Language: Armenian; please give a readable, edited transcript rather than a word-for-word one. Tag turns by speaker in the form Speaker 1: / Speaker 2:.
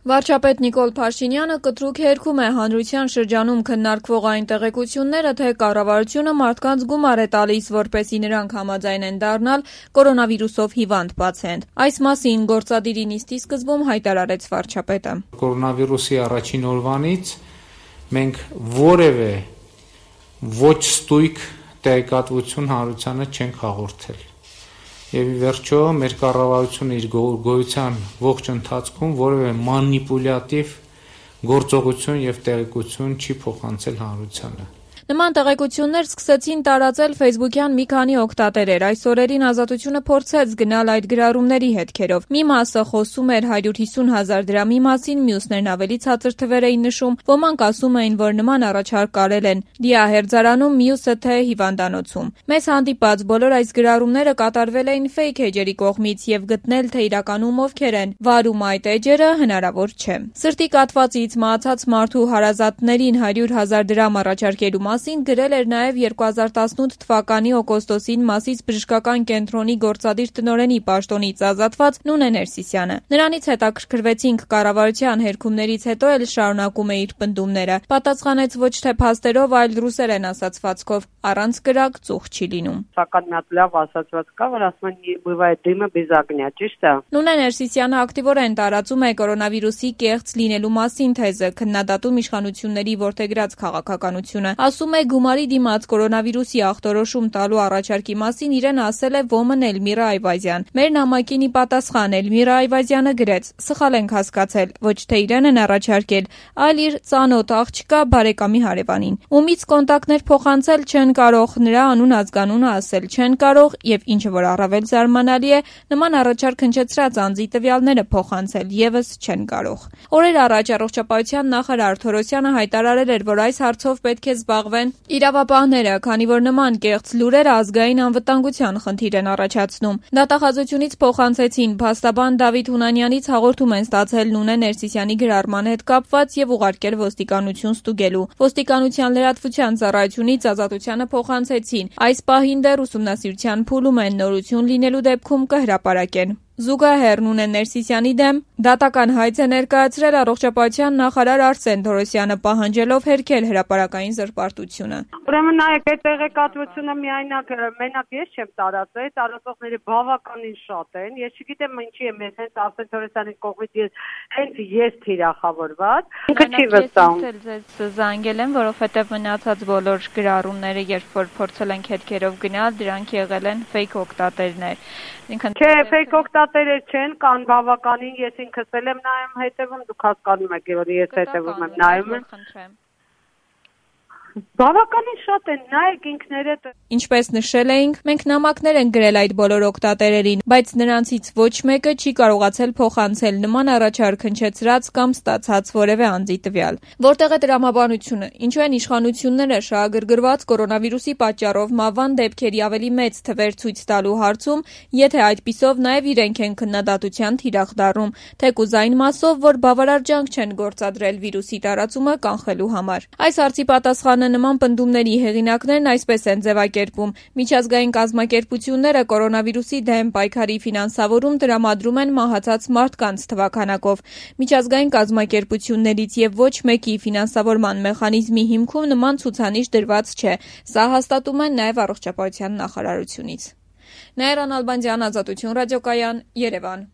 Speaker 1: Վարչապետ Նիկոլ Փաշինյանը կտրուկ հերքում է հանրության շրջանում քննարկվող այն տեղեկությունները, թե կառավարությունը մարդկանց գումար է տալիս, որպեսզի նրանք համաձայնեն դառնալ կորոնավիրուսով հիվանդ պացիենտ։ Այս մասին գործադիրի նիստի սկզբում հայտարարեց վարչապետը։
Speaker 2: Կորոնավիրուսի առաջին օրվանից մենք որևէ ոչ ստույգ տեղեկատվություն հանրությանը չենք հաղորդել։ Եվ ի վերջո մեր կառավարությունը իր գոյության ողջ ընթացքում որևէ մանիպուլյատիվ գործողություն եւ տեղեկություն չի փոխանցել հանրությանը։
Speaker 1: Նման տեղեկություններ սկսեցին տարածել ֆեյսբուքյան մի քանի օգտատերեր։ Այս օրերին Ազատությունը փորձեց գնալ այդ գրառումների հետքերով։ Մի մասը խոսում էր 150,000 դրամի մասին, մյուսներն ավելի ցածր թվեր էին նշում։ Ոմանք ասում էին, որ նման առաջարկ արել են դիահերձարանում, մյուսը թե հիվանդանոցում։ Մեզ հանդիպած բոլոր այս գրառումները կատարվել էին ֆեյք էջերի կողմից եւ գտնել, թե իրականում ովքեր են վարում այդ էջերը, հնարավոր չէ։ Սրտի կաթվածից մահացած մարդու հարազատներին 100,000 դրամ առաջարկելու մասին գրել էր նաև 2018 թվականի օգոստոսին Մասիս բժշկական կենտրոնի գործադիր տնօրենի պաշտոնից ազատված Նունե Ներսիսյանը։ Նրանից հետաքրքրվեցինք կառավարության հերքումներից հետո էլ շարունակում է իր պնդումները։ Պատասխանեց ոչ թե փաստերով, այլ ռուսերեն ասացվածքով՝ առանց կրակ ծուխ չի լինում։
Speaker 3: Սակայն մի հատ լավ ասացված կա, որ ասում են «Բывает дыма без огня», ճիշտ է։
Speaker 1: Նունե Ներսիսյանը ակտիվորեն տարածում է կորոնավիրուսի կեղծ լինելու մասին թեզը, քննադատում իշխանությունների որդեգրած քաղաքականությունը։ Ասում է գումարի դիմաց կորոնավիրուսի ախտորոշում տալու առաջարկի մասին իրեն ասել է ոմն Էլմիրա Այվազյան։ Մեր նամակին ի պատասխան Էլմիրա Այվազյանը գրեց. «Սխալ ենք հասկացել, ոչ թե իրեն են առաջարկել, այլ իր ծանոթ աղջկա բարեկամի հարևանին։ Ումից կոնտակտներ փոխանցել չեն կարող, նրա անուն ազգանունը ասել չեն կարող եւ ինչը որ առավել զարմանալի է, նման առաջարկ հնչեցրած անձի տվյալները փոխանցել եւս չեն կարող»։ Օրեր առաջ առողջապահության նախարար Թորոսյանը հայտարարել էր, որ այս հարցով պետք է զբաղվեն իրավապահները, քանի որ նման կեղծ լուրերը ազգային անվտանգության խնդիր են առաջացնում։ Դատախազությունից փոխանցեցին փաստաբան Դավիթ Հունանյանից հաղորդում են ստացել Նունե Ներսիսյանի գրառման հետ կապված եւ ուղարկել ոստիկանություն ստուգելու։ Ոստիկանության լրատվության ծառայությունից Ազատությանը փոխանցեցին։ Այս պահին դեռ ուսումնասիրության փուլում են, նորություն լինելու դեպքում կհրապարակեն։ Զուգահեռ Նունե Ներսիսյանի դեմ դատական հայց է ներկայացրել առողջապահության նախարար Արսեն Թորոսյանը, պահանջելով հերքել հրապարակային զրպարտությունը։
Speaker 3: Ուրեմն նայեք, այդ տեղեկատվությունը մենակ ես չեմ տարածել, տարածողները բավականին շատ են։ Ես չգիտեմ ինչի է մեզ հենց Արսեն Թորոսյանի կողմից ես թիրախավորված։ Ինքը չի վստահում։
Speaker 1: Ձեզ զանգել եմ, որովհետև մնացած բոլոր գրառումները, երբ որ փորձել ենք հետքերով գնալ, դրանք եղել են ֆեյք օգտատերներ։
Speaker 3: Չէ, ֆեյք օգտատերեր չեն, կան բավականին, ես ինքս էլ եմ նայում հետևում, դուք հասկանում եք, որ ես հետևում եմ նայում։ Բավականին շատ են, նայեք ինքներդ։
Speaker 1: Ինչպես նշել էինք, մենք նամակներ ենք գրել այդ բոլոր օգտատերերին, բայց նրանցից ոչ մեկը չի կարողացել փոխանցել նման առաջարկ հնչեցրած կամ ստացած որևէ անձի տվյալ։ Որտեղ է տրամաբանությունը, ինչու են իշխանությունները շահագրգռված կորոնավիրուսի պատճառով մահվան դեպքերի ավելի մեծ թվեր ցույց տալու հարցում, եթե այդպիսով նաև իրենք են քննադատության թիրախ դառնում, թեկուզ այն մասով, որ բավարար ջանք չեն գործադրել վիրուսի տարածումը կանխելու համար։ Այս հարցի պատասխանը նման պնդումների հեղինակներն այսպես են ձևակերպում. միջազգային կազմակերպությունները կորոնավիրուսի դեմ պայքարի ֆինանսավորում տրամադրում են մահացած մարդկանց թվաքանակով։ Միջազգային կազմակերպություններից եւ ոչ մեկի ֆինանսավորման մեխանիզմի հիմքում նման ցուցանիշ դրված չէ։ Սա հաստատում են նաև առողջապահության նախարարությունից։ Նաիրա Նալբանդյան, Ազատություն ռադիոկայան, Երևան։